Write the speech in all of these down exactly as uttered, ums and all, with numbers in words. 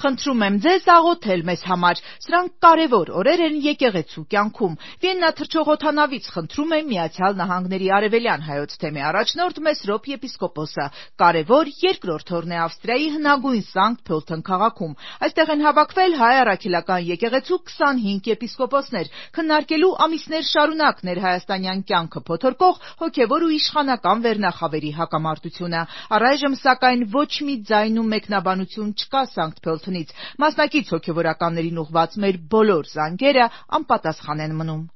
Խնդրում եմ ձեզ աղոթել մեզ համար, սրանք կարևոր օրեր են եկեղեցու կյանքում։ Վիեննա թռչող օդանավից խնդրում է Միացյալ Նահանգների Արևելյան հայոց թեմի առաջնորդ Մեսրոպ եպիսկոպոսը։ Կարևոր երկրորդ օրն է Ավստրիայի հնագույն Սանկտ Փոլթեն քաղաքում։ Այստեղ են հավաքվել հայ առաքելական եկեղեցու քսանհինգ եպիսկոպոսներ, քննարկելու ամիսներ շարունակ ներհայաստանյան կյանքը փոթորկող հոգևոր ու իշխանական վերնախավերի հակամարտությունը։ Առայժմ սակայն ոչ մի ձայն ու մեկնաբանություն չկա Սանկտ Փոլթենից։ Մասնակից հոգևորականներին ուղղված մեր բոլոր զանգերը անպատասխան են մնում։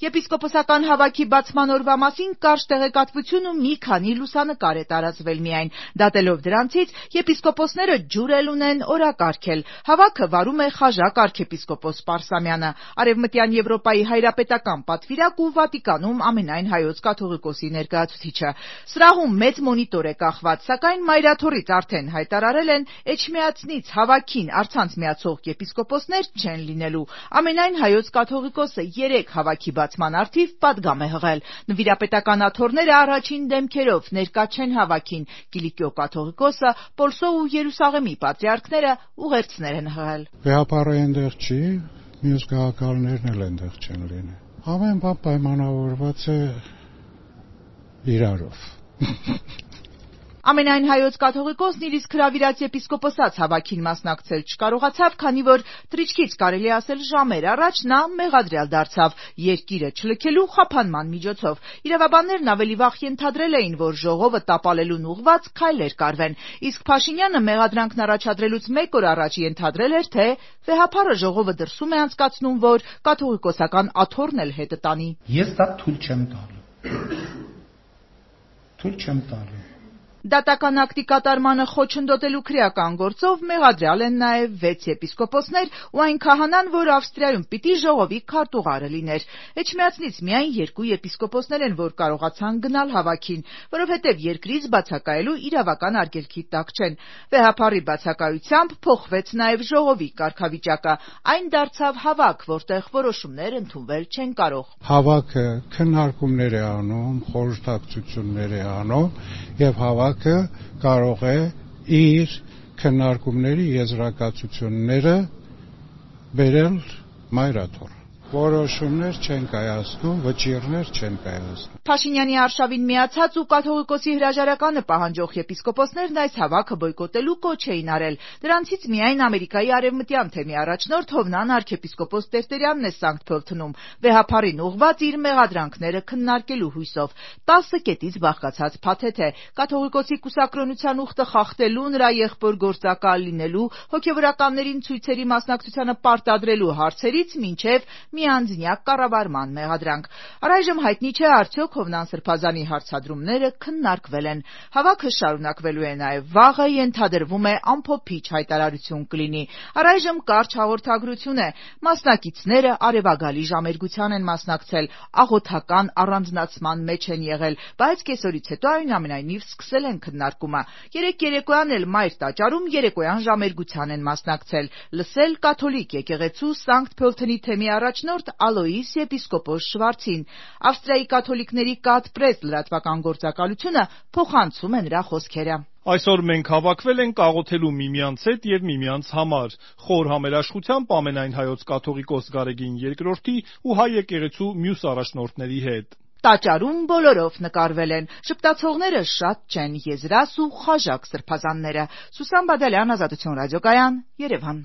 Եպիսկոպոսական հավաքի բացման օրվա մասին կարճ տեղեկատվություն ու մի քանի լուսանկար է տարածվել միայն։ Դատելով դրանցից, եպիսկոպոսները ջուր էլ ունեն օրակարգել։ Հավաքը վարում է խաժակ արքեպիսկոպոս Պարսամյանը, Արևմտյան Եվրոպայի հայրապետական պատվիրակ ու Վատիկանում ամենայն հայոց կաթողիկոսի ներկայացուցիչը։ Սրահում մեծ մոնիտոր է կախված, սակայն մայրաթոռից արդեն հայտարարել են Էջմիածնից հավաքին առցանց միացող եպիսկոպոսներ չեն լինելու։ Ամենայն հայոց կաթողիկոսը երեք հավաքի բացման արդիվ պատգամ է հղել։ Նվիրապետական աթոռները առաջին դեմքերով ներկա չեն հավաքին։ Կիլիկիո կաթողիկոսը, Պոլսո ու Երուսաղեմի պատրիարքները ուղերձներ են հղել։ Վեհապարը այնտեղ չի, մյուս գաղափարներն էլ այնտեղ չեն լինի։ Ամեն բան պայմանավորված է իրարով։ Ամենայն հայոց կաթողիկոսն իր իսկ հրավիրած եպիսկոպոսած հավաքին մասնակցել չկարողացավ, քանի որ թռիչքից կարելի ասել ժամեր առաջ նա մեղադրյալ դարձավ երկիրը չլքելու խափանման միջոցով։ Իրավաբաններն ավելի վաղ ենթադրել էին, որ ժողովը տապալելուն ուղղված քայլեր կարվեն, իսկ Փաշինյանը մեղադրանքն առաջադրելուց մեկ օր առաջ ենթադրել էր, թե վեհապարը ժողովը դրսում է անցկացնում, որ կաթողիկոսական աթոռն էլ հետը տանի։ Ես դա թույլ չեմ տալու։ Թույլ չեմ տալու։ Դատական ակտի կատարմանը խոչընդոտելու քրեական գործով մեղադրյալ են նաև վեց եպիսկոպոսներ ու այն քահանան, որ Ավստրիայում պիտի ժողովի քարտուղարը լիներ։ Էջմիածնից միայն երկու եպիսկոպոսներ են, որ կարողացան գնալ հավաքին, որովհետև երկրից բացակայելու իրավական արգելքի տակ չեն։ Վեհապարի բացակայությամբ փոխվեց նաև ժողովի կարգավիճակը։ Այն դարձավ հավաք, որտեղ որոշումներ ընդունվել չեն կարող։ Հավաքը քննարկումներ է անում, խորհրդակցություններ է անում եւ հավաքը կարող է իր քննարկումների եզրակացությունները բերել մայրաթոռ։ Որոշումներ չեն կայացնում, վճիռներ չեն կայացնում։ Փաշինյանի արշավին միացած ու կաթողիկոսի հրաժարականը պահանջող եպիսկոպոսներն այս հավաքը բոյկոտելու կոչ էին արել։ Դրանցից միայն Ամերիկայի արևմտյան թեմի առաջնորդ Հովնան արքեպիսկոպոս Տերտերյանն է Սանկտ Փոլթենում վեհապարին ուղղված իր մեղադրանքները քննարկելու հույսով։ Տասը կետից բաղկացած փաթեթ է։ Կաթողիկոսի կուսակրոնության ուխտը խախտելու, նրա եղբոր գործակալ լինելու, հոգևորականներին ցույցերի մասնակցությանը պարտադրելու հարցերից մինչև միանձնյա կառավարման մեղադրանք։ Առայժմ հայտնի չէ արդյոք Հովնան Սրբազանի հարցադրումները քննարկվել են։ Հավաքը շարունակվելու է նաև վաղը, ենթադրվում է ամփոփիչ հայտարարություն կլինի։ Առայժմ կարճ հաղորդագրություն է։ Մասնակիցները արևագալի ժամերգության են մասնակցել, աղոթական առանձնացման մեջ են եղել, բայց կեսօրից հետո այնուամենայնիվ սկսել են քննարկումը։ Երեկ երեկոյան էլ Մայր տաճարում երեկոյան ժամերգության են մասնակցել, լսել կաթոլիկ եկեղեցու Սանկտ Փոլթենի թեմի առաջնորդ Ալոիս եպիսկոպոս Շվարցին։ Ավստրիայի կաթոլիկների կաթ-պրես լրատվական գործակալությունը փոխանցում է նրա խոսքերը։ Այսօր մենք հավաքվել ենք աղոթելու միմյանց հետ եւ միմյանց համար։ Խոր համերաշխությամբ ամենայն հայոց կաթողիկոս Գարեգին երկրորդի ու հայ եկեղեցու մյուս առաջնորդների հետ։ Տաճարում բոլորով նկարվել են։ Շպտացողները շատ չեն, եզրաս ու խաժակ սրբազանները։ Սուսան Բադալյան, Ազատություն ռադիոկայան, Երևան։